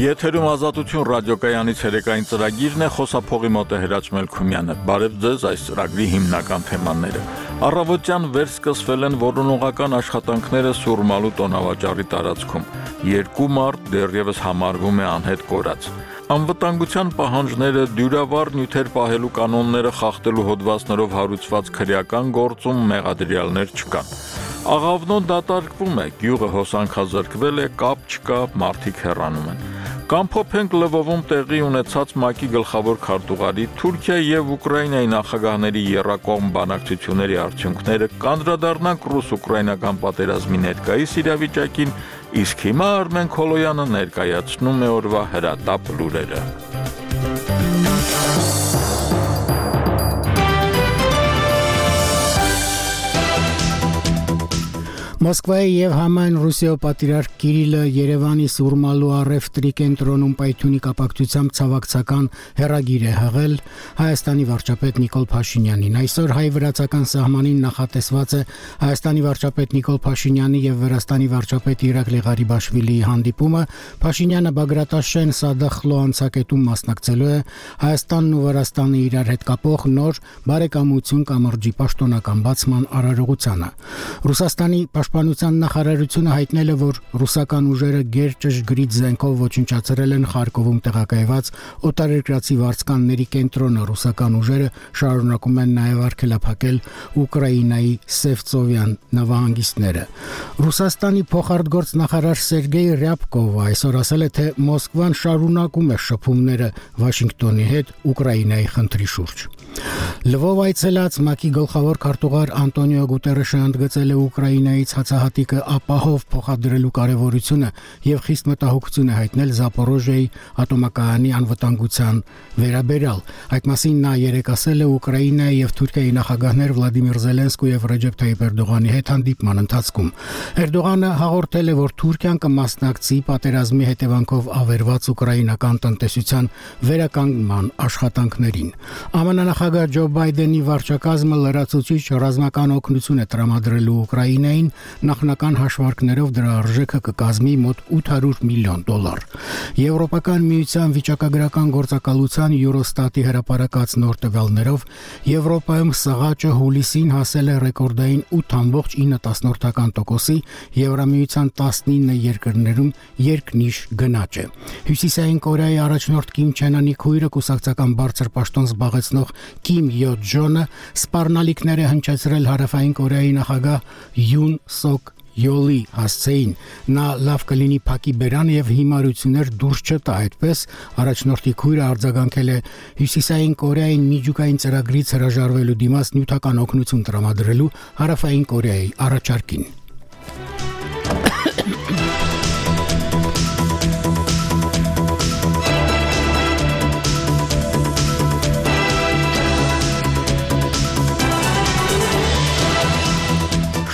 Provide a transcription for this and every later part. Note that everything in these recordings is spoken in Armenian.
Եթերում ազատություն ռադիոկայանից երեկային ծրագիրն է, խոսափողի մոտ է Հրաչ Մելքումյանը։ Բարև ձեզ, այս ծրագրի հիմնական թեմաները։ Առավոտյան վերսկսվել են որոնողական աշխատանքները Սուրմալու տոնավաճառի տարածքում։ 2 մարդ դեռևս համարվում է անհետ կորած։ Անվտանգության պահանջները, դյուրավառ նյութեր պահելու կանոնները խախտելու հոդվածներով հարուցված քրեական գործում մեղադրյալներ չկան։ Աղավնոն դատարկվում է, գյուղը հոսանքազրկվել է, կապ չկա, մարդիկ հեռանում են։ Կամփոփենք Լվովում տեղի ունեցած ՄԱԿ-ի գլխավոր քարտուղարի Թուրքիայի եւ Ուկրաինայի նախագահների եռակողմ բանակցությունների արդյունքները, կանդրադառնանք ռուս-ուկրաինական պատերազմի ներկայիս իրավիճակին, իսկ հիմա Արմեն Քոլոյանը ներկայացնում է օրվա հրատապ լուրերը։ Մոսկվայի եւ համայն Ռուսիայի պատրիարք Կիրիլը Երևանի Սուրմալու առևտրի կենտրոնում պայթյունի կապակցությամբ ցավակցական հեռագիր է հղել Հայաստանի վարչապետ Նիկոլ Փաշինյանին։ Այսօր հայ-վրացական սահմանին նախատեսված է Հայաստանի վարչապետ Նիկոլ Փաշինյանի եւ Վրաստանի վարչապետ Իրակլի Ղարիբաշվիլիի հանդիպումը։ Փաշինյանը Բագրատաշեն Սադախլո անցակետում մասնակցելու է Հայաստանն ու Վրաստանը իրար հետ կապող նոր բարեկամություն կամրջի պաշտոնական բացման արարողությանը։ Ռուսաստանի Պաշտպանության նախարարությունը հայտնել է, որ ռուսական ուժերը գերճշգրիտ զենքով ոչնչացրել են Խարկովում տեղակայված օտարերկրացի վարձկանների կենտրոնը։ Ռուսական ուժերը շարունակում են նաև արգելափակել Ուկրաինայի Սևծովյան նավահանգիստները։ Ռուսաստանի փոխարտգործնախարար Սերգեյ Ռյաբկովը այսօր ասել է, թե Մոսկվան շարունակում է շփումները Վաշինգտոնի հետ Ուկրաինայի խնդրի շուրջ։ Լվով այցելած ՄԱԿ-ի գլխավոր քարտուղար Անտոնիո Գուտերեշը ընդգծել է Ուկրաինայից հացահատիկը ապահով փոխադրելու կարևորությունը եւ խիստ մտահոգություն է հայտնել Զապորոժիայի ատոմակայանի անվտանգության վերաբերյալ։ Այդ մասին նա երեկ ասել է Ուկրաինայի եւ Թուրքիայի նախագահներ Վլադիմիր Զելենսկու եւ Ռեջեփ Թայիփ Էրդողանի հետ հանդիպման ընթացքում։ Էրդողանը հաղորդել է, որ Թուրքիան կմասնակցի պատերազմի հետևանքով ավերված ուկրաինական տնտեսության վերականգնման աշխատանքներին։ ԱՄՆ նախագահ Ջո Բայդենի վարչակազմը լրացուցիչ ռազմական օգնություն է տրամադրելու Ուկրաինային, նախնական հաշվարկներով դրա արժեքը կկազմի մոտ $800 միլիոն։ Եվրոպական միության վիճակագրական գործակալության Eurostat-ի հրապարակած նոր տվյալներով Եվրոպայում սղաճը հուլիսին հասել է ռեկորդային 8.9%-ի, Եվրամիության 19 երկրներում երկնիշ գնաճ է։ Հյուսիսային Կորեայի առաջնորդ Կիմ Չեն Ընի քույրը կուսակցական բարձր պաշտոն զբաղեցնող Կիմ Յո Ջոնը սպառնալիքներ է հնչեցրել Հարավային Կորեայի նախագահ Յուն Սոկ Յոլի հասցեին։ Նա լավ կլինի փակի բերան եւ հիմարություններ դուրս չտա, այդպես առաջնորդի քույրը արձագանքել է Հյուսիսային Կորեային միջուկային ծրագրից հրաժարվելու դիմաց նյութական օգնություն տրամադրելու Հարավային Կորեայի առաջարկին։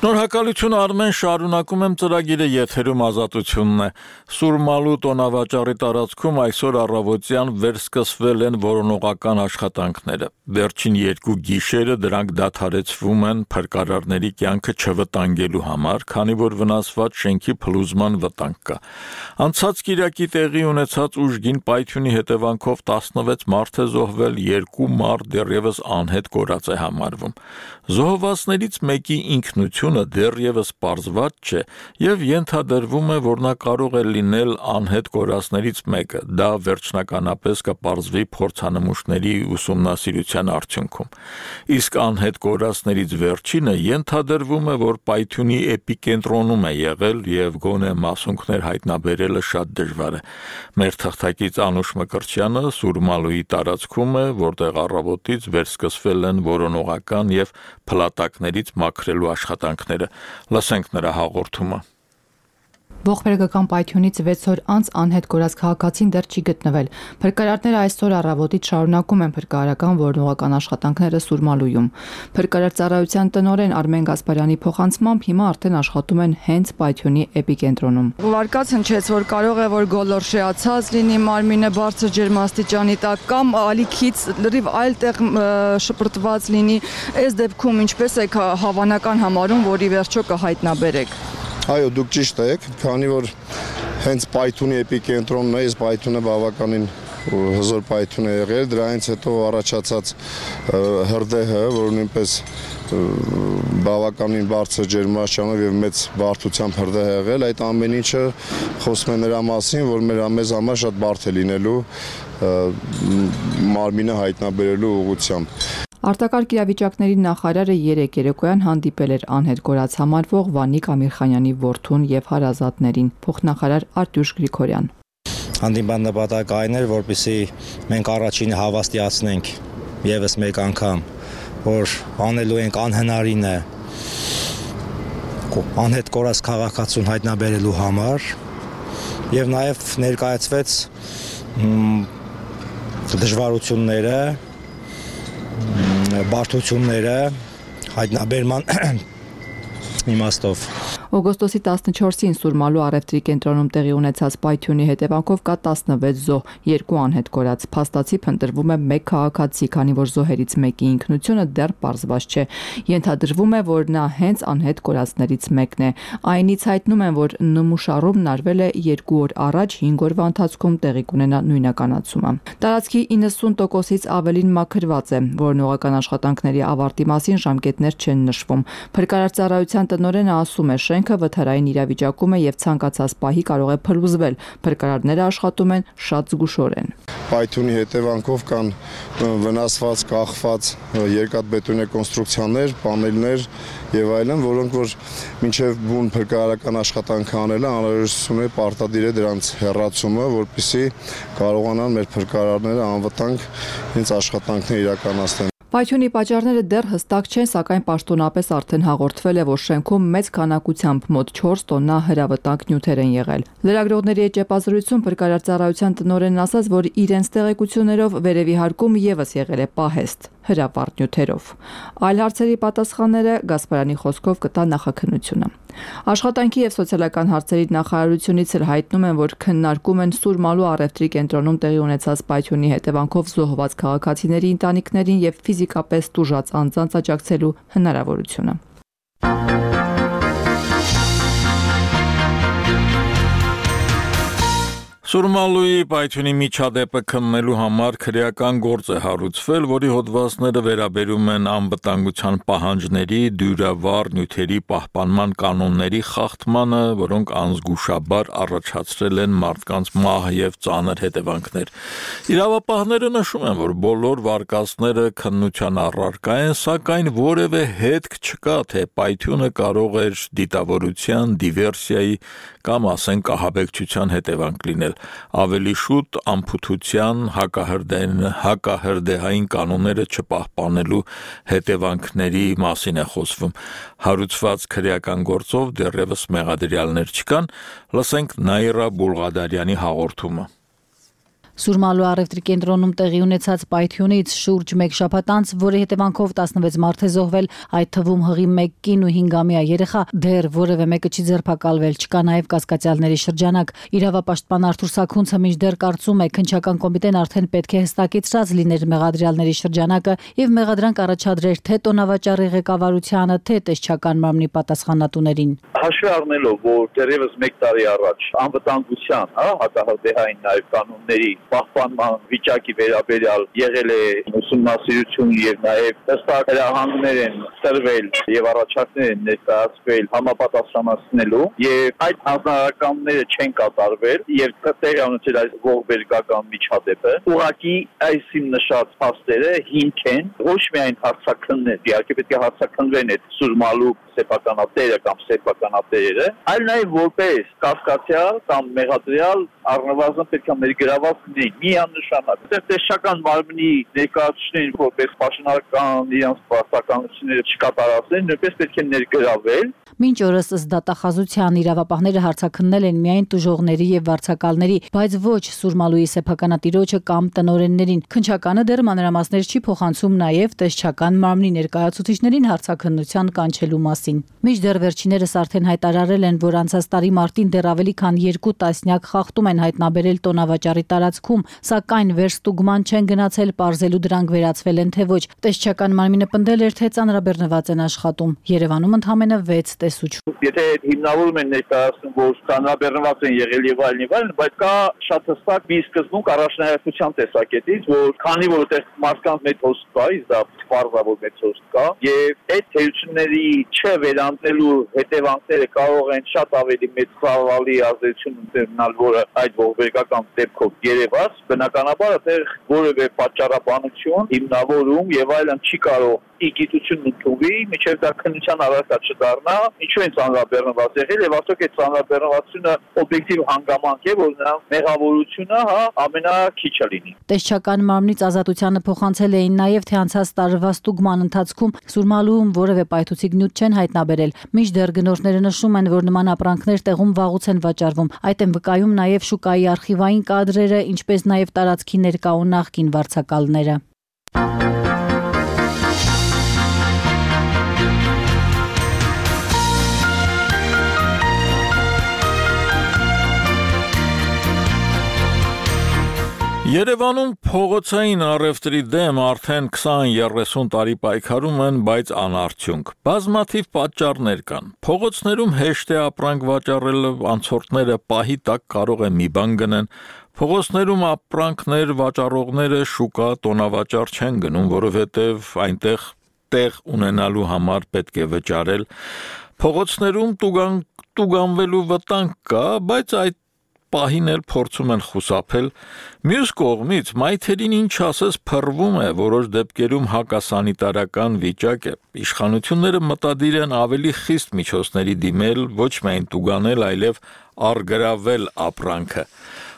Շնորհակալություն Արմեն, շարունակում եմ ծրագիրը, եթերում ազատությունն է։ Սուրմալու տոնավաճառի տարածքում այսօր առավոտյան վերսկսվել են որոնողական աշխատանքները։ Վերջին 2 գիշերը դրանք դադարեցվում են փրկարարների կյանքը չվտանգելու համար, քանի որ վնասված շենքի փլուզման վտանգ կա։ Անցած կիրակի տեղի ունեցած ուժգին պայթյունի հետևանքով 16 մարդ է զոհվել, 2 մարդ դեռևս անհետ կորած է համարվում։ Զոհվածներից մեկի ինքնությունը դեռևս պարզված չէ եւ ենթադրվում է, որ նա կարող է լինել անհետ կորածներից մեկը։ Դա վերջնականապես կպարզվի փորձանմուշների ուսումնասիրության արդյունքում։ Իսկ անհետ կորածներից վերջինը ենթադրվում է, որ պայթյունի էպիկենտրոնում է եղել եւ գոնե մասունքներ հայտնաբերելը շատ դժվար է։ Մեր թղթակից Անուշ Մկրտչյանը Սուրմալուի տարածքում է, որտեղ առավոտից վերսկսվել են որոնողական եւ փլատակներից մաքրելու աշխատանքները։ Լսենք նրա հաղորդումը։ Ողբերգական պայթյունից 6 օր անց անհետ կորած քաղաքացին դեռ չի գտնվել։ Փրկարարները այսօր առավոտից շարունակում են փրկարարական որոնողական աշխատանքները Սուրմալույում։ Փրկարար ծառայության տնօրեն Արմեն Գասպարյանի փոխանցմամբ հիմա արդեն աշխատում են հենց պայթյունի էպիկենտրոնում։ Վարկած հնչեց, որ կարող է որ գոլորշիացած լինի մարմինը բարձր ջերմաստիճանի տակ կամ ալիքից լրիվ այլ տեղ շպրտված լինի։ Այս դեպքում ինչպես եք հավանական համարում, որ ի վերջո կհայտնաբերեք։ Այո, դուք ճիշտ եք, քանի որ հենց պայթունի էպիկենտրոնն է, այս պայթունը բավականին հզոր պայթուն է եղել, դրանից հետո առաջացած հրդեհը, որ նույնպես բավականին բարձր ջերմաստիճանով եւ մեծ բարդությամբ հրդեհ է եղել, այդ ամեն ինչը խոսում է նրա մասին, որ մեզ համար շատ բարդ է լինելու մարմինը հայտնաբերելու ուղղությամբ։ Արտակարգ իրավիճակների նախարարը երեկ երեկոյան հանդիպել էր անհետ կորած համարվող Վանիկ Ամիրխանյանի որդուն եւ հարազատներին, փոխնախարար Արտյուշ Գրիգորյան։ Հանդիպան նպատակը այն էր, որպեսզի մենք առաջինը հավաստիացնենք եւս մեկ անգամ, որ անելու ենք անհնարինը անհետ կորած քաղաքացուն հայտնաբերելու համար եւ նաեւ ներկայացվեց դժվարությունները, բարդությունները հայտնաբերման իմաստով։ Օգոստոսի 14-ին Սուրմալու առևտրի կենտրոնում տեղի ունեցած պայթյունի հետևանքով կա 16 զոհ, 2 անհետ կորած։ Փաստացի փնտրվում է 1 քաղաքացի, քանի որ զոհերից մեկի ինքնությունը դեռ պարզված չէ։ Ենթադրվում է, որ նա հենց անհետ կորածներից մեկն է։ Այնից հայտնում են, որ նմուշառումն արվել է 2 օր առաջ, 5 օրվա ընթացքում տեղի կունենա նույնականացումը։ Տարածքի 90%-ից ավելին մաքրված է, որոնողական աշխատանքների ավարտի մասին ժամկետներ չեն նշվում։ Փրկարար ծառայության տնօրենը ասում է, շենքը վթարային իրավիճակում է եւ ցանկացած պահի կարող է փլուզվել։ Փրկարարները աշխատում են շատ զգուշորեն։ Պայթունի հետևանքով կան վնասված, կախված երկաթբետոնե կոնստրուկցիաներ, պանելներ եւ այլն, որոնք որ մինչեւ բուն փրկարարական աշխատանքը անելը անհրաժեշտություն է պարտադիր է դրանց հեռացումը, որպեսզի կարողանան մեր փրկարարները անվտանգ հենց աշխատանքներ իրականացնեն։ Պայթյունի պատճառները դեռ հստակ չեն, սակայն պաշտոնապես արդեն հաղորդվել է, որ շենքում մեծ քանակությամբ մոտ 4 տոննա հրավտանգ նյութեր են եղել։ Լրագրողների հետ ճեպազրույցում փրկարար ծառայության տնօրենն ասաց, որ իրենց տեղեկություններով վերևի հարկում եւս եղել է պահեստ հրավառ նյութերով։ Այլ հարցերի պատասխանները Գասպարյանի խոսքով կտա նախաքննությունը։ Աշխատանքի եւ սոցիալական հարցերի նախարարությունից էլ հայտնում են, որ քննարկում են Սուրմալու առևտրի կենտրոնում տեղի ունեցած պայթյունի հետևանքով զոհված քաղաքացիների ընտանիքներին եւ ֆիզիկապես տուժած անձանց աջակցելու հնարավորությունը։ Սուրմալուի պայթյունի միջադեպը քննելու համար քրեական գործ է հարուցվել, որի հոդվածները վերաբերում են անվտանգության պահանջների, դյուրավառ նյութերի պահպանման կանոնների խախտմանը, որոնք անզգուշաբար առաջացրել են մարդկանց մահ եւ ծանր հետևանքներ։ Իրավապահները նշում են, որ բոլոր վարկածները քննության առարկա են, սակայն որևէ հետք չկա, թե պայթյունը կարող էր դիտավորության, դիվերսիայի կամ ասենք ահաբեկչության հետևանք լինել։ Ավելի շուտ անփութության հակահրդեհային կանոնները չպահպանելու հետևանքների մասին է խոսվում։ Հարուցված քրեական գործով դեռևս մեղադրյալներ չկան, լսենք Նաիրա Բուլղադարյանի հաղորդումը։ Սուրմալու առևտրի կենտրոնում տեղի ունեցած պայթյունից շուրջ 1 շաբաթ անց, որի հետևանքով 16 մարդ է զոհվել, այդ թվում հղի 1 կին ու 5-ամյա երեխա, դեռ որևէ մեկը չի ձերբակալվել, չկա նաև կասկածյալների շրջանակ։ Իրավապաշտպան Արթուր Սաքունցը մինչդեռ կարծում է, քննչական կոմիտեն արդեն պետք է հստակեցրած լիներ մեղադրյալների շրջանակը եւ մեղադրանք առաջադրեր թե տոնավաճառի ղեկավարությանը, թե տեսչական մարմնի պատասխանատուներին։ Հաշվի առնելով, որ դեռևս 1 տարի առաջ անվտանգության, հակահրդեհային նաև կանոնների պահպանման վիճակի վերաբերյալ եղել է ուսումնասիրություն եւ նաեւ հստակ հրահանգներ են տրվել եւ առաջարկներ են ներկայացվել համապատասխանեցնելու եւ այդ հանրականները չեն կատարվել եւ տեղի ունեցել այս ողբերգական միջադեպը ուղղակի այսին նշած փաստերը հիմք են ոչ միայն հարցաքններ, իհարկե պետք է հարցաքննվեն այդ Սուրմալու սեփականատերը կամ սեփականատերերը, այլ նաև որպես կասկածյալ կամ մեղադրյալ առնվազն պետք է ներգրաված լինեն միանշանակ։ Տեսչական մարմնի ներկայացուցիչներին որպես պաշտոնական իրենց պարտականությունները չկատարածեն, նույնպես պետք է ներգրավել։ Մինչ օրս ըստ դատախազության իրավապահները հարցաքննել են միայն տուժողների եւ վարձակալների, բայց ոչ Սուրմալուի սեփականատիրոջը կամ տնօրեններին։ Քննչականը դեռ մանրամասներ չի փոխանցում նաեւ տեսչական մարմնի ներկայացուցիչներին հարցաքննության կանչելու մասին։ մասին։ Մինչդեռ վերջիներս արդեն հայտարարել են, որ անցած տարի մարտին դեռ ավելի քան 2 տասնյակ խախտում են հայտնաբերել տոնավաճառի տարածքում, սակայն վերստուգման չեն գնացել, պարզելու դրանք վերացվել են թե ոչ։ Տեսչական մարմինը պնդել էր, թե ծանրաբեռնված են աշխատում։ Երևանում ընդամենը 6 տեսուչ։ Եթե հիմնավորում են ներկայացնում, որ ծանրաբեռնված են եղել եւ այլն, բայց կա շատ հստակ մի սկզբունք առաջնահերթության տեսակետից, որ քանի որ այդտեղ մարդկանց մեծ հոսք կա, իսկ դա պարզավոր մեծ հոսք կա, եւ այդ թերությունների չվերանտելու հետևանքները կարող են շատ ավելի մեծ ցավալի ազդեցություն ունենալ, որը այդ ողբերգական դեպքով երևաց, բնականաբար այդտեղ որևէ պատճառաբանություն, հիմնավորում եւ այլն չի կարող իգիտություն ընդունվի, միջև դա քննության առարկա չդառնա, ինչու են ծանրաբեռնված եղել եւ արդյոք այդ ծանրաբեռնվածությունը օբյեկտիվ հանգամանք է, որ նա մեղավորությունը ամենաքիչը լինի։ Տեսչական մարմնից ազատությանը փոխանցել էին նաեւ, թե անցած տարվա ստուգման ընթացքում Սուրմալուում որևէ պայթուցիկ նյութ չեն հայտնաբերել։ Մինչդեռ գնորդները նշում են, որ նման ապրանքներ տեղում վաղուց են վաճառվում։ Այդ են վկայում նաեւ շուկայի արխիվային կադրերը, ինչպես նաեւ տարածքի ներկա ու նախկին վարձակալները։ Երևանում փողոցային առևտրի դեմ արդեն 20-30 տարի պայքարում են, բայց անարդյունք։ Բազմաթիվ պատճառներ կան։ Փողոցներում հեշտ է ապրանք վաճառելը, անցորդները պահի տակ կարող է մի բան գնեն։ Փողոցներում ապրանքներ վաճառողները շուկա տոնավաճառ չեն գնում, որովհետև այնտեղ տեղ ունենալու համար պետք է վճարել։ Փողոցներում տուգանվելու վտանգ կա, բայց այդ պահին էլ փորձում են խուսափել։ Մյուս կողմից մայթերին ինչ ասես փռվում է, որոշ դեպքերում հակասանիտարական վիճակ է։ Իշխանությունները մտադիր են ավելի խիստ միջոցների դիմել, ոչ միայն տուգանել, այլև առգրավել ապրանքը։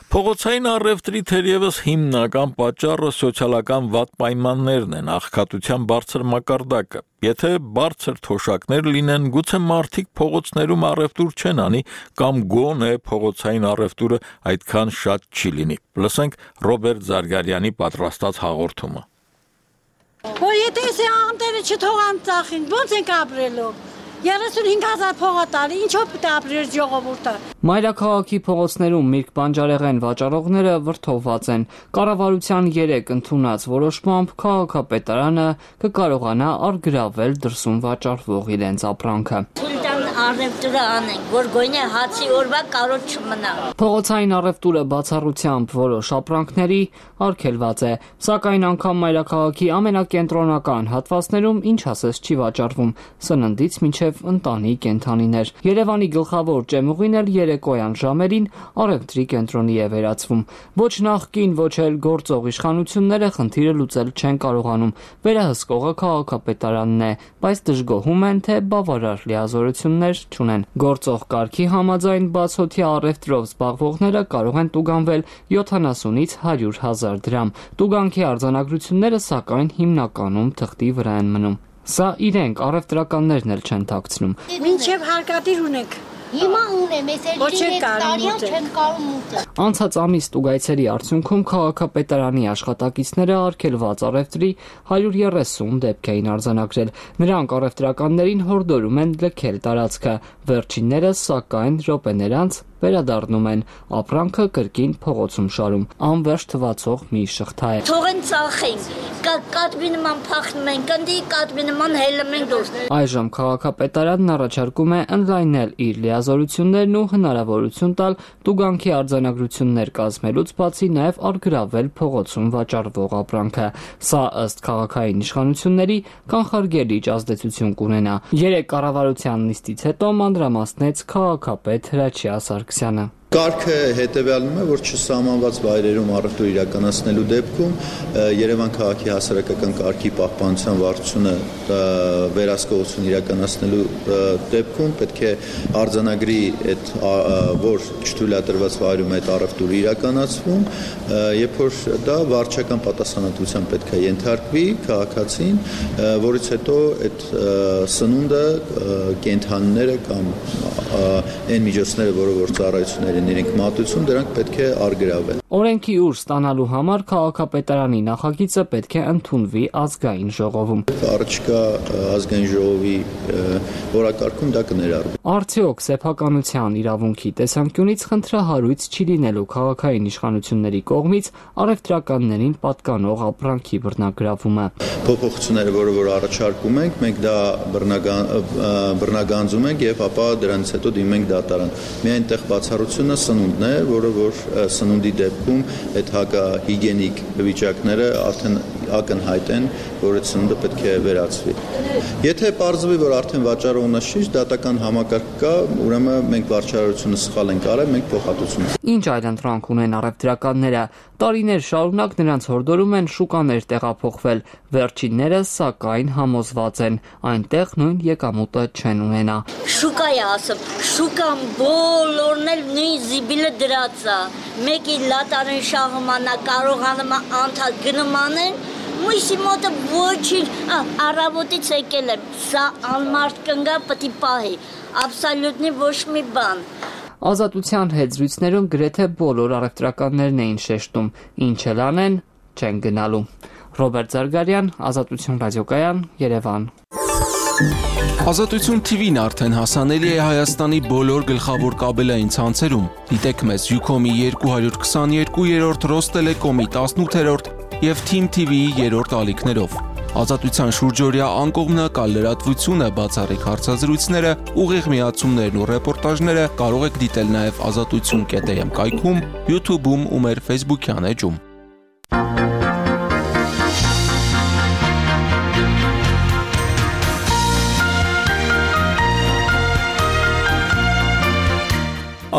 Փողոցային առևտրի թերևս հիմնական պատճառը սոցիալական վատ պայմաններն են, աղքատության բարձր մակարդակը։ Եթե բարձր թոշակներ լինեն, գուցե մարդիկ փողոցներում առևտուր չեն անի, կամ գոնե փողոցային առևտուրը այդքան շատ չի լինի։ Լսենք Ռոբերտ Զարգարյանի պատրաստած հաղորդումը։ Որ եթե անտերը չթողան ծախին, ո՞նց ենք ապրելու։ 35,000 փողոտալի, ինչով պետք է ապրեր ժողովուրդը։ Մայրաքաղաքի փողոցներում միրգ բանջարեղեն վաճառողները վրդովված են։ Կառավարության 3 ընդունած որոշմամբ քաղաքապետարանը կկարողանա առգրավել դրսում վաճառվող իրենց ապրանքը։ Առևտուրը անենք, որ գոնե հացի օրվա կարոտ չմնա։ Փողոցային առևտուրը բացառությամբ որոշ ապրանքների արգելված է, սակայն անգամ մայրաքաղաքի ամենակենտրոնական հատվածներում ինչ ասես չի վաճառվում, սննդից մինչև ընտանի կենդանիներ։ Երևանի գլխավոր ջեմուղին էլ երեկոյան ժամերին առևտրի կենտրոնի է վերածվում։ Ոչ նախկին, ոչ էլ գործող իշխանությունները խնդիրը լուծել չեն կարողանում։ Վերահսկողը քաղաքապետարանն է, բայց դժգոհում են, թե բավարար լիազորություններ չունեն։ Գործող կարգի համաձայն բացօթյա առևտրով զբաղվողները կարող են տուգանվել 70-ից 100,000 դրամ։ Տուգանքի արձանագրությունները սակայն հիմնականում թղթի վրա են մնում։ Սա իրենք առևտրականներն էլ չեն թաքցնում։ Մինչև հարկադիր ունենք։ Հիմա ունեմ, չեն կարում մուտը։ Անցած ամիս տուգայցերի արդյունքում քաղաքապետարանի աշխատակիցները արգելված առևտրի 130 դեպք էին արձանագրել։ Նրանք առևտրականներին հորդորում են լքել տարածքը։ Վերջիններս սակայն րոպեներ անց վերադառնում են, ապրանքը կրկին փողոցում շարում, անվերջ թվացող մի շղթա է։ Թողեն ծախեն, կատվի նման փախնում են, կնդի կատվի նման հելում են դուրս։ Այժմ քաղաքապետարանն առաջարկում է ընդլայնել իր լիազորություններն ու հնարավորություն տալ տուգանքի արձանագրություններ կազմելուց բացի նաև առգրավել փողոցում վաճառվող ապրանքը։ Սա ըստ քաղաքային իշխանությունների կանխարգելիչ ազդեցություն կունենա։ 3 կառավարության նիստից հետո մանրամասնեց քաղաքապետ Հրաչյա Սարգսյանը։ Կարգը հետևյալն է, որ չսահմանված վայրերում առևտուր իրականացնելու դեպքում Երևան քաղաքի հասարակական կարգի պահպանության վարչությունը վերահսկողություն իրականացնելու դեպքում պետք է արձանագրի այդ որ չթույլատրված վայրում այդ առևտուրը իրականացվում, երբ որ դա վարչական պատասխանատվության պետք է ենթարկվի քաղաքացին, որից հետո այդ սնունդը կենդանիները կամ այն միջոցները, որը որ ծառայություններ իրենք մատուցում, դրանք պետք է առգրավել։ Օրենքի ուժ ստանալու համար քաղաքապետարանի նախագիծը պետք է ընդունվի ազգային ժողովում։ Առաջիկա ազգային ժողովի օրակարգում դա կներառվի։ Արդյոք սեփականության իրավունքի տեսանկյունից խնդրահարույց չի լինելու քաղաքային իշխանությունների կողմից առևտրականներին պատկանող ապրանքի բռնագրավումը։ Փոփոխությունները, որ առաջարկում ենք, մենք դա բռնագանձում ենք եւ ապա դրանից հետո դիմում ենք դատարան։ Միայն այդտեղ բացառությունը սնունդն է, որը որ սնունդի դեպքում այդ հակահիգիենիկ վիճակները արդեն ակնհայտ են, որ այդ սնունդը պետք է վերացվի։ Եթե պարզվի, որ արդեն վաճառողը շիշ դատական համակարգ կա, ուրեմն մենք վարչարությունը սխալ ենք արել, մենք փոխհատուցում։ Ինչ այլընտրանք ունեն առևտրականները, տարիներ շարունակ նրանց հորդորում են շուկաներ տեղափոխվել, վերջիններս սակայն համոզված են, այնտեղ նույն եկամուտը չեն ունենա։ Շուկայի ասում, շուկան բոլորն էլ նույն զիբիլը դրած է, մեկի լատարեն շահմանա կարողանում է անդադ գնմանեն, մույսի մոտը ոչինչ առավոտից եկել եմ, սա անմարդ կնգա պտի պահի, աբսոլյուտնի ոչ մի բան։ Ազատության հետ զրույցներում գրեթե բոլոր առևտրականներն էին շեշտում, ինչ էլ անեն, չեն գնալու։ Ռոբերտ Զարգարյան, Ազատություն ռադիոկայան, Երևան։ Ազատություն TV-ն արդեն հասանելի է Հայաստանի բոլոր գլխավոր կաբելային ցանցերում։ Դիտեք մեզ Ucom-ի 222-րդ, Ռոստելեկոմի 18-րդ և Team TV-ի 3-րդ ալիքներով։ Ազատության շուրջօրյա անկողմնակալ լրատվությունը, բացառիկ հարցազրույցները, ուղիղ միացումներն ու ռեպորտաժները կարող եք դիտել նաև azatutsun.am կայքում, YouTube-ում ու մեր Facebook-յան էջում։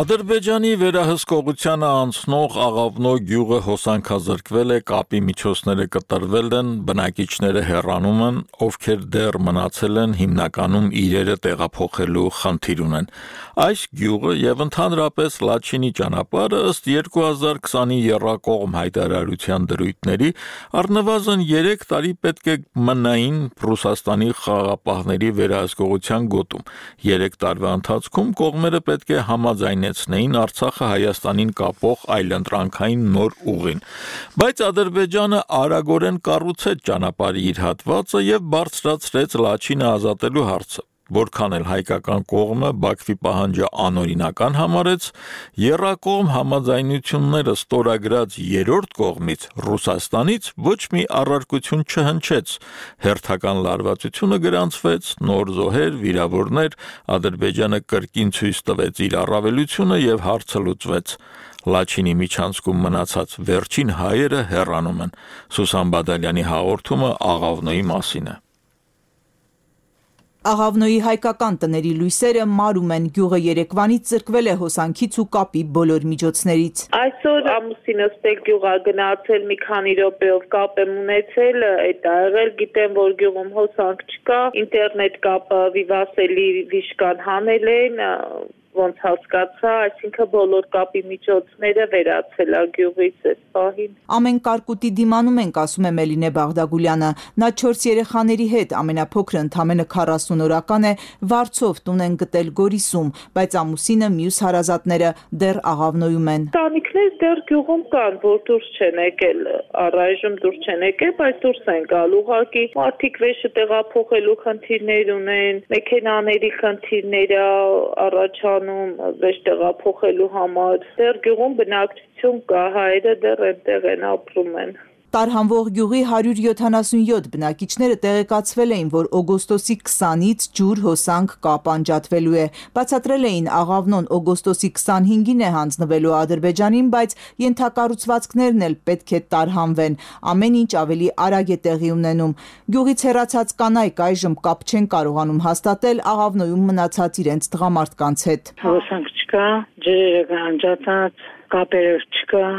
Ադրբեջանի վերահսկողությանը անցնող Աղավնո գյուղը հոսանքազրկվել է, կապի միջոցները կտրվել են, բնակիչները հեռանում են, ովքեր դեռ մնացել են, հիմնականում իրերը տեղափոխելու խնդիր ունեն։ Այս գյուղը եւ ընդհանրապես Լաչինի ճանապարհը ըստ 2020-ի եռակողմ հայտարարության դրույթների առնվազն 3 տարի պետք է մնային Ռուսաստանի խաղաղապահների վերահսկողության գոտում։ 3 տարվա ընթացքում կողմերը պետք է համաձայնեցնեին Արցախը Հայաստանին կապող այլընտրանքային նոր ուղին։ Բայց Ադրբեջանը արագորեն կառուցեց ճանապարհի իր հատվածը եւ բարձրացրեց Լաչինը ազատելու հարցը։ Որքան էլ հայկական կողմը Բաքվի պահանջը անօրինական համարեց, եռակողմ համաձայնությունները ստորագրած երրորդ կողմից Ռուսաստանից ոչ մի առարկություն չհնչեց։ Հերթական լարվածությունը գրանցվեց, նոր զոհեր, վիրավորներ, Ադրբեջանը կրկին ցույց տվեց իր առավելությունը եւ հարցը լուծվեց։ Լաչինի միջանցքում մնացած վերջին հայերը հեռանում են։ Սուսան Բադալյանի հաղորդումը Աղավնոյի մասին է։ Աղավնոյի հայկական տների լույսերը մարում են, գյուղը երեկվանից ծրկվել է հոսանքից ու կապի բոլոր միջոցներից։ Այսօր ամուսինս տեղ գյուղա գնացել, մի քանի րոպեով կապ եմ ունեցել, այդ ա եղել, գիտեմ, որ գյուղում հոսանք չկա, ինտերնետ կապը վիվասելի վիշկան հանել են, ոնց հասկացա, այսինքն բոլոր կապի միջոցները վերացել է գյուղից այս պահին։ Ամեն կարկուտի դիմանում ենք, ասում է Մելինե Բաղդագուլյանը։ Նա 4 երեխաների հետ, ամենափոքրը ընդամենը 40 օրական է, վարձով տուն են գտել Գորիսում, բայց ամուսինը մյուս հարազատները դեռ Աղավնոյում են։ Տանիքներ դեռ գյուղում կան, որ դուրս չեն եկել, առայժմ դուրս չեն եկել, բայց դուրս են գալ ուղղակի։ Մարդիկ վեշը տեղափոխելու խնդիրներ ունեն, մեքենաների խնդիրներ վեշ տեղափոխելու համար, դեռ գյուղում բնակչություն կա, հայերը դեռ այնտեղ են ապրում են։ Տարհանվող գյուղի 177 բնակիչները տեղեկացվել էին, որ օգոստոսի 20-ից ջուր հոսանք կապ անջատվելու է։ Բացատրել էին Աղավնոն օգոստոսի 25-ին է հանձնվելու Ադրբեջանին, բայց ենթակառուցվածքներն էլ պետք է տարհանվեն։ Ամեն ինչ ավելի արագ է տեղի ունենում։ Գյուղից հեռացած կանայք այժմ կապ չեն կարողանում հաստատել Աղավնոյում մնացած իրենց տղամարդկանց հետ։ Հոսանք չկա, ջրերը անջատած, կապերը չկա,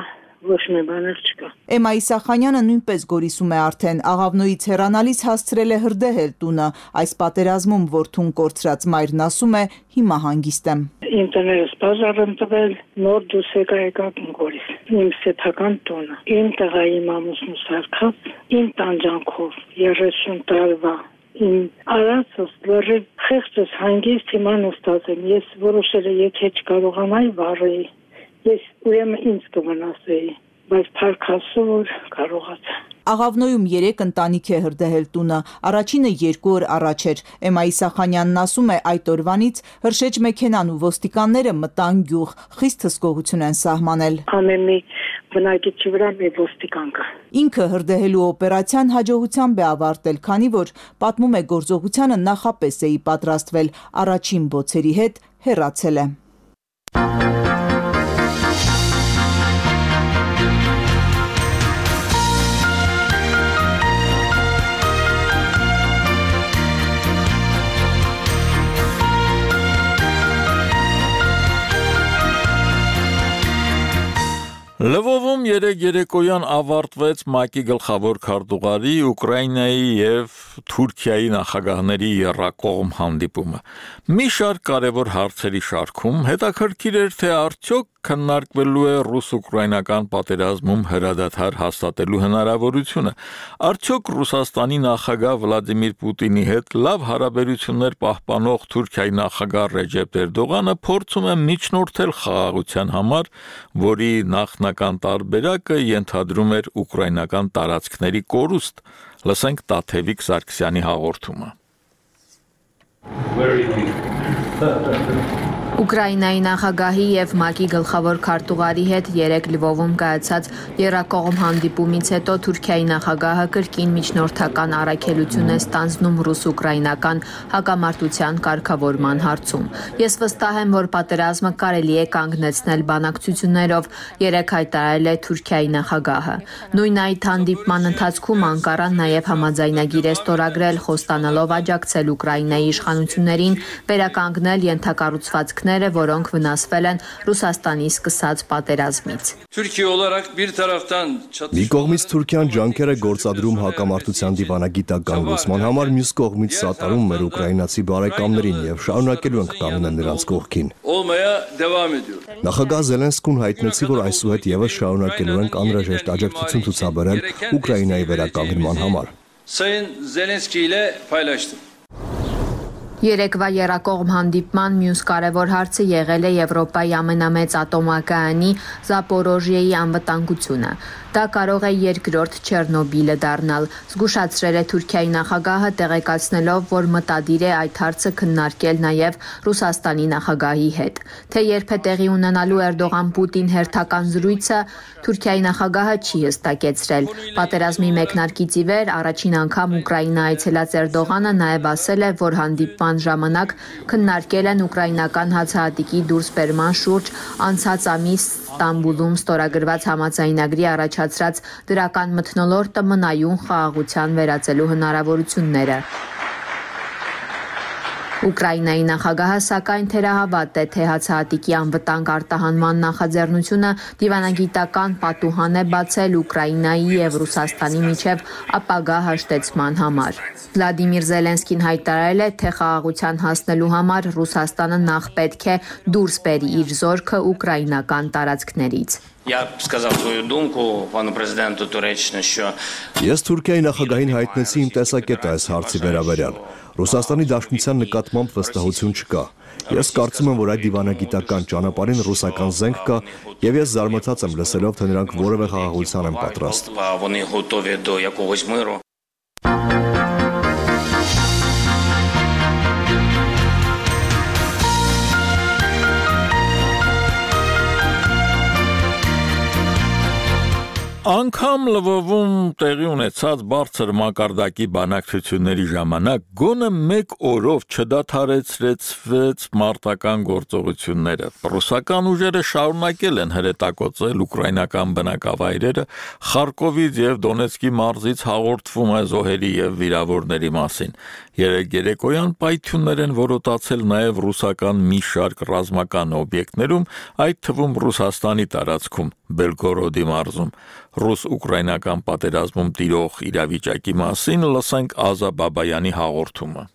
ոչ մի բան չկա։ Էմա Իսախանյանը նույնպես Գորիսում է արդեն, Աղավնոյից հեռանալիս հասցրել է հրդեհել տունը, այս պատերազմում որդուն կորցրած մայրն ասում է, հիմա հանգիստ եմ։ Իմ տներս բաժար եմ տվել, նոր դուրս եկա Գորիս, իմ սեփական տունը, իմ տղայի մամուսն սարքած, իմ տանջանքով 30 տարվա իմ արածս լրիվ խեղճս հանգիստ հիմա նստած եմ, ես որոշել եմ, եթե չկարողանայի վառեի Ես ուրեմն ինձ կմնասեի, բայց փառքասու որ կարողացա։ Աղավնոյում 3 ընտանիք է հրդեհել տունը, առաջինը 2 օր առաջ էր։ Էմայի Սախանյանն ասում է, այդ օրվանից հրշեջ մեքենան ու ոստիկանները մտան գյուղ, խիստ հսկողություն են սահմանել։ Ամեն մի բնակիչի վրա մի ոստիկան կա։ Ինքը հրդեհելու օպերացիան հաջողությամբ է ավարտել, քանի որ պատմում է գործողությանը նախապես էի պատրաստվել, առաջին բոցերի հետ հեռացել է։ Լվովում երեկոյան ավարտվեց ՄԱԿ-ի գլխավոր քարտուղարի, Ուկրաինայի և Թուրքիայի նախագահների եռակողմ հանդիպումը։ Մի շարք կարևոր հարցերի շարքում հետաքրքիր էր, թե արդյոք քննարկվելու է ռուս-ուկրաինական պատերազմում հրադադար հաստատելու հնարավորությունը, արդյոք Ռուսաստանի նախագահ Վլադիմիր Պուտինի հետ լավ հարաբերություններ պահպանող Թուրքիայի նախագահ Ռեջեփ Էրդողանը փորձում է միջնորդել խաղաղության համար, որի նախնական տարբերակը ենթադրում էր ուկրաինական տարածքների կորուստ։ Լսենք Տաթևիկ Սարգսյանի հաղորդումը։ Ուկրաինայի նախագահի և ՄԱԿ-ի գլխավոր քարտուղարի հետ 3 Լվովում կայացած եռակողմ հանդիպումից հետո Թուրքիայի նախագահը կրկին միջնորդական առաքելություն է ստանձնում ռուս-ուկրաինական հակամարտության կարգավորման հարցում։ Ես վստահ եմ, որ պատերազմը կարելի է կանգնեցնել բանակցություններով, երեկ հայտարարել է Թուրքիայի նախագահը։ Նույն այդ հանդիպման ընթացքում Անկարան նաև համաձայնագիր է ստորագրել, խոստանալով աջակցել Ուկրաինայի իշխանություններին վերականգնել ենթակառուցվածքները, որոնք վնասվել են Ռուսաստանի սկսած պատերազմից։ Մի կողմից Թուրքիան ջանքեր է գործադրում հակամարտության դիվանագիտական լուծման համար, մյուս կողմից սատարում մեր ուկրաինացի բարեկամներին եւ շարունակելու ենք կանգնել նրանց կողքին։ Նախագահ Զելենսկուն հայտնեցի, որ այսուհետ եւս շարունակելու ենք անհրաժեշտ աջակցություն ցուցաբերել Ուկրաինայի վերականգնման համար։ Երեկվա եռակողմ հանդիպման մյուս կարևոր հարցը եղել է Եվրոպայի ամենամեծ ատոմակայանի Զապորոժիեի անվտանգությունը։ Դա կարող է երկրորդ Չեռնոբիլը դառնալ, զգուշացրել է Թուրքիայի նախագահը, տեղեկացնելով, որ մտադիր է այդ հարցը քննարկել նաև Ռուսաստանի նախագահի հետ։ Թե երբ է տեղի ունենալու Էրդողան-Պուտին հերթական զրույցը, Թուրքիայի նախագահը չի հստակեցրել։ Պատերազմի մեկնարկից ի վեր առաջին անգամ Ուկրաինա այցելած Էրդողանը նաև ասել է, որ հանդիպման ժամանակ քննարկել են ուկրաինական հացահատիկի դուրսբերման շուրջ անցած ամիս Ստամբուլում ստորագրված համաձայնագրի առաջացրած դրական մթնոլորտը մնայուն խաղաղության վերածելու հնարավորությունները։ Ուկրաինայի նախագահը սակայն թերահավատ է, թե հացահատիկի անվտանգ արտահանման նախաձեռնությունը դիվանագիտական պատուհան է բացել Ուկրաինայի և Ռուսաստանի միջև ապագա հաշտեցման համար։ Վլադիմիր Զելենսկին հայտարարել է, թե խաղաղության հասնելու համար Ռուսաստանը նախ պետք է դուրս բերի իր զորքը ուկրաինական տարածքներից։ Ես Թուրքիայի նախագահին հայտնեցի իմ տեսակետը այս հարցի վերաբերյալ։ Ռուսաստանի Դաշնության նկատմամբ վստահություն չկա։ Ես կարծում եմ, որ այդ դիվանագիտական ճանապարհին ռուսական զենք կա, եւ ես զարմացած եմ լսելով, թե նրանք որևէ խաղաղության են պատրաստ։ Անգամ Լվովում տեղի ունեցած բարձր մակարդակի բանակցությունների ժամանակ գոնե մեկ օրով չդադարեցրեց մարտական գործողությունները։ Ռուսական ուժերը շարունակել են հրետակոծել ուկրաինական բնակավայրերը, Խարկովից եւ Դոնեցկի մարզից հաղորդվում է զոհերի եւ վիրավորների մասին։ Երեկոյան պայթյուններ են որոտացել նաև ռուսական մի շարք ռազմական օբյեկտներում, այդ թվում Ռուսաստանի տարածքում, Բելգորոդի մարզում։ Ռուս-ուկրաինական պատերազմում տիրող իրավիճակի մասին լսենք Ազա Բաբայանի հաղորդումը։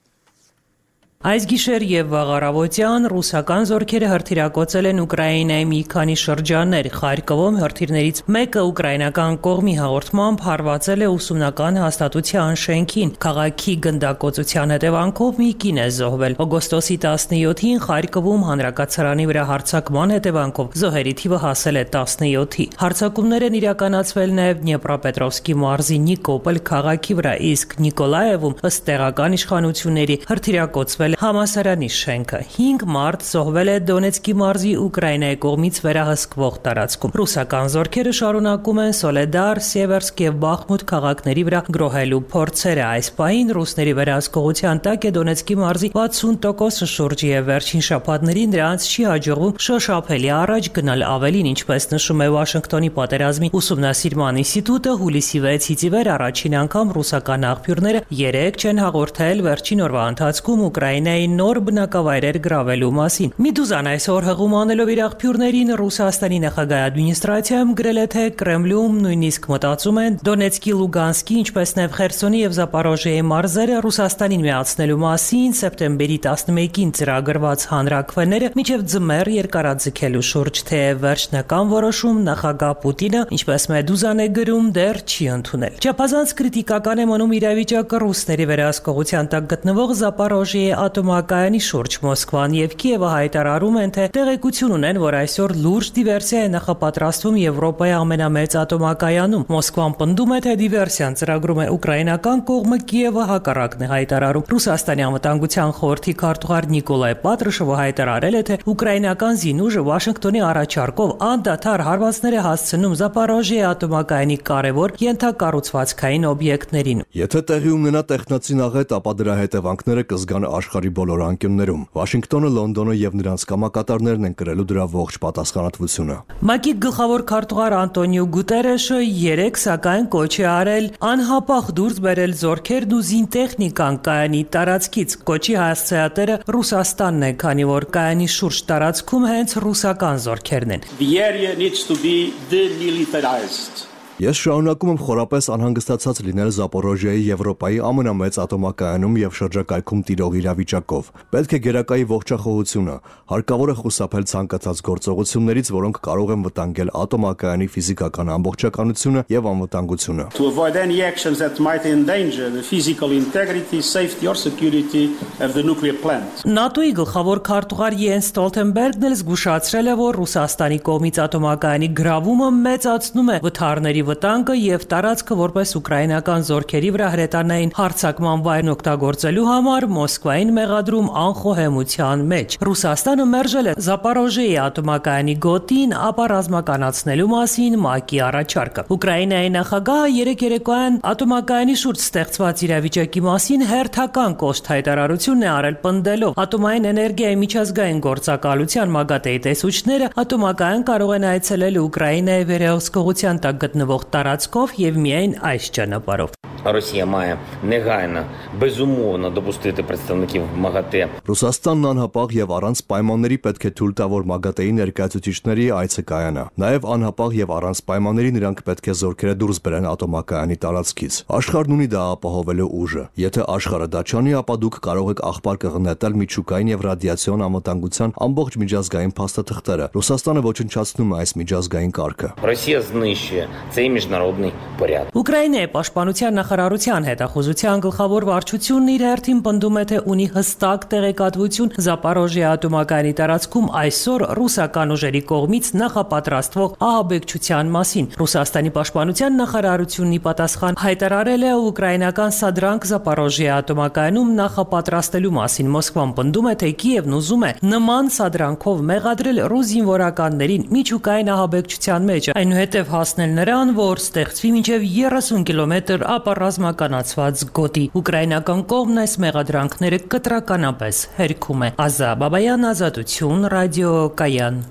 Այս գիշեր եւ վաղ առավոտյան ռուսական զորքերը հրթիռակոծել են Ուկրաինայի մի քանի շրջաններ։ Խարկովում հրթիռներից մեկը ուկրաինական կողմի հաղորդմամբ հարվածել է ուսումնական հաստատության շենքին։ Քաղաքի գնդակոծության հետևանքով մի կին է զոհվել։ Օգոստոսի 17-ին Խարկովում հանրակացարանի վրա հարձակման հետևանքով զոհերի թիվը հասել է 17-ի։ Հարձակումներ են իրականացվել նաեւ Դնեպրոպետրովսկի մարզի Նիկոպոլ քաղաքի վրա, իսկ Նիկոլաևում ըստ տեղական իշխանությունների հրթիռակոծվել համալսարանի շենքը։ 5 մարդ զոհվել է Դոնեցկի մարզի Ուկրաինայի կողմից վերահսկվող տարածքում։ Ռուսական զորքերը շարունակում են Սոլեդար, Սևերսկ եւ Բախմուտ քաղաքների վրա գրոհելու փորձերը։ Այս պահին ռուսների վերահսկողության տակ է Դոնեցկի մարզի 60% շուրջը եւ վերջին շաբաթներին նրանց չի հաջողվում շոշափելի առաջ գնալ։ Ավելին, ինչպես նշում է Վաշինգտոնի պատերազմի ուսումնասիրման ինստիտուտը, հուլիսի 6-ից ի վեր առաջին անգամ ռուսական աղբյուրները 3 չեն հաղորդել վերջին օրվա ընթացքում Ուկրաինայի նոր բնակավայրեր գրավելու մասին։ Մեդուզան այսօր հղում անելով իր աղբյուրներին Ռուսաստանի նախագահ ադմինիստրացիայում գրել է, թե Կրեմլում նույնիսկ մտածում են Դոնեցկի, Լուգանսկի, ինչպես նաև Խերսոնի եւ Զապորոժիեի մարզերը Ռուսաստանին միացնելու մասին սեպտեմբերի 11-ին ծրագրված հանրաքվեները մինչև ձմեռ երկարաձգելու շուրջ, թե վերջնական որոշում նախագահ Պուտինը, ինչպես Մեդուզան է գրում, դեռ չի ընդունել։ Չափազանց կրիտիկական է մնում իրավիճակը ռուսների վերահսկողության տակ գտնվող Զապորոժիեի ատոմակայանի շուրջ։ Մոսկվան եւ Կիևը հայտարարում են, թե տեղեկություն ունեն, որ այսօր լուրջ դիվերսիա է նախապատրաստվում Եվրոպայի ամենամեծ ատոմակայանում։ Մոսկվան պնդում է, թե դիվերսիան ծրագրում է ուկրաինական կողմը, Կիևը հակառակն է հայտարարում։ Ռուսաստանի անվտանգության խորհրդի քարտուղար Նիկոլայ Պատրուշովը հայտարարել է, թե ուկրաինական զինուժը Վաշինգտոնի առաջարկով անդադար հարվածներ է հասցնում Զապորոժիեի ատոմակայանի կարևոր ենթակառուցվածքային օբյեկտներին։ Եթե տեղի ունենա տեխնացի աղետ, ապա դրա հետևանքները կզգան աշխարհի բոլոր անկյուններում։ Վաշինգտոնը, Լոնդոնը եւ նրանց կամակատարներն են կրելու դրա ողջ պատասխանատվությունը։ ՄԱԿ-ի գլխավոր քարտուղար Անտոնիո Գուտերեշը 3 սակայն կոչ է արել անհապաղ դուրս բերել զորքերն ու զինտեխնիկան կայանի տարածքից։ Կոչի հասցեատերը Ռուսաստանն է, քանի որ կայանի շուրջ տարածքում հենց ռուսական զորքերն են։ The area needs to be demilitarized. Ես շարունակում եմ խորապես անհանգստացած լինել Զապորոժիեի Եվրոպայի ամենամեծ ատոմակայանում եւ շրջակայքում տիրող իրավիճակով։ Պետք է գերակայի ողջախոհությունը, հարկավոր է խուսափել ցանկացած գործողություններից, որոնք կարող են վտանգել ատոմակայանի ֆիզիկական ամբողջականությունը եւ անվտանգությունը։ To avoid any actions that might endanger the physical integrity, safety or security of the nuclear plant. ՆԱՏՕ-ի գլխավոր քարտուղար Յենս Ստոլտենբերգն էլ զգուշացրել է, որ Ռուսաստանի կողմից ատոմակայանի գրավումը մեծացնում է վթարների վտանգը եւ տարածքը որպես ուկրաինական զորքերի վրա հրետանային հարձակման վայրն օգտագործելու համար Մոսկվային մեղադրում անխոհեմության մեջ։ Ռուսաստանը մերժել է Զապորոժիեի ատոմակայանի գոտին ապառազմականացնելու մասին ՄԱԿ-ի առաջարկը։ Ուկրաինայի նախագահը երեկ երեկոյան ատոմակայանի շուրջ ստեղծված իրավիճակի մասին հերթական կոշտ հայտարարություն է արել, պնդելով ատոմային էներգիայի միջազգային գործակալության ՄԱԳԱՏԵ-ի տեսուչները ատոմակայան կարող են այցելել Ուկրաինայի վերահսկողության տակ գտնվող տարածքով եւ միայն այս ճանապարհով։ Росія має негайно, безумовно допустити представників МАГАТЕ. Ռուսաստանն անհապաղ եւ առանց պայմանների պետք է թույլ տա, որ ՄԱԳԱՏԵ-ի ներկայացուցիչների այցը կայանա։ Նաեւ անհապաղ եւ առանց պայմանների նրանք պետք է զորքերը դուրս բերեն ատոմակայանի տարածքից։ Աշխարհն ունի դա ապահովելու ուժը։ Եթե աշխարհը դա չանի, ապա դուք կարող եք աղբար կղնետել միջուկային եւ ռադիացիոն անվտանգության ամբողջ միջազգային փաստաթղթերը։ Ռուսաստանը ոչնչացնում է այս միջազգային կարգը։ Ռոսիա знищує цей міжнародний порядок. Ուկրաինայի պաշտպանության նախարարության հետախուզության գլխավոր վարչությունն իր հերթին պնդում է, թե ունի հստակ տեղեկատվություն Զապորոժիեի ատոմակայանի տարածքում այսօր ռուսական ուժերի կողմից նախապատրաստվող ահաբեկչության մասին։ Ռուսաստանի պաշտպանության նախարարությունն ի պատասխան հայտարարել է ուկրաինական սադրանք Զապորոժիեի ատոմակայանում նախապատրաստելու մասին։ Մոսկվան պնդում է, թե Կիևն ուզում է նման սադրանքով մեղադրել ռուս զինվորականներին միջուկային ահաբեկչության մեջ, այնուհետև հասնել նրան, որ ստեղծվի մինչև 30 կիլոմետր ապառազմականացված գոտի։ Ուկրաինական կողմն այս մեղադրանքները կտրականապես հերքում է։ Ազա Բաբայան, Ազատություն, ռադիո Կայան։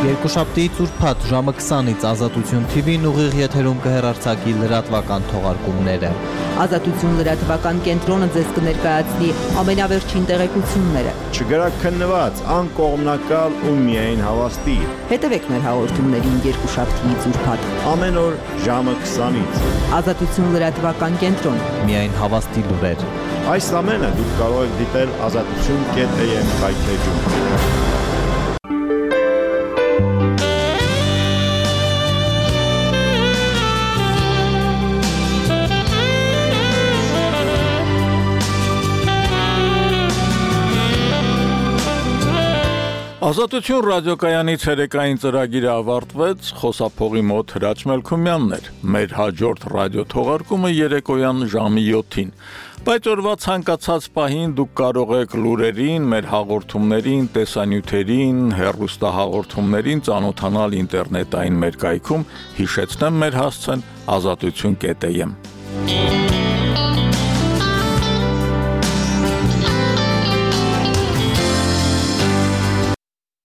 Երկուշաբթիից ուրբաթ ժամը 20-ից Ազատություն TV-ն ուղիղ եթերում կհեռարձակի լրատվական թողարկումները։ Ազատություն լրատվական կենտրոնը ձեզ կներկայացնի ամենավերջին տեղեկությունները։ Չգրաքննված, անկողմնակալ ու միայն հավաստի։ Հետևեք մեր հաղորդումներին երկուշաբթիից ուրբաթ ամեն օր ժամը 20-ից։ Ազատություն լրատվական կենտրոն։ Միայն հավաստի լուրեր։ Այս ամենը դուք կարող եք դիտել azatutun.am հայթեջում։ Ազատություն ռադիոկայանի ցերեկային ծրագիրը ավարտվեց, խոսափողի մոտ Հրաչ Մելքումյանն էր։ Մեր հաջորդ ռադիո թողարկումը երեկոյան ժամի 7-ին։ Բայց օրվա ցանկացած պահին դուք կարող եք լուրերին, մեր հաղորդումներին, տեսանյութերին, հեռուստահաղորդումներին ծանոթանալ ինտերնետային մեր կայքում, հիշեցնեմ մեր հասցեն azatutun.am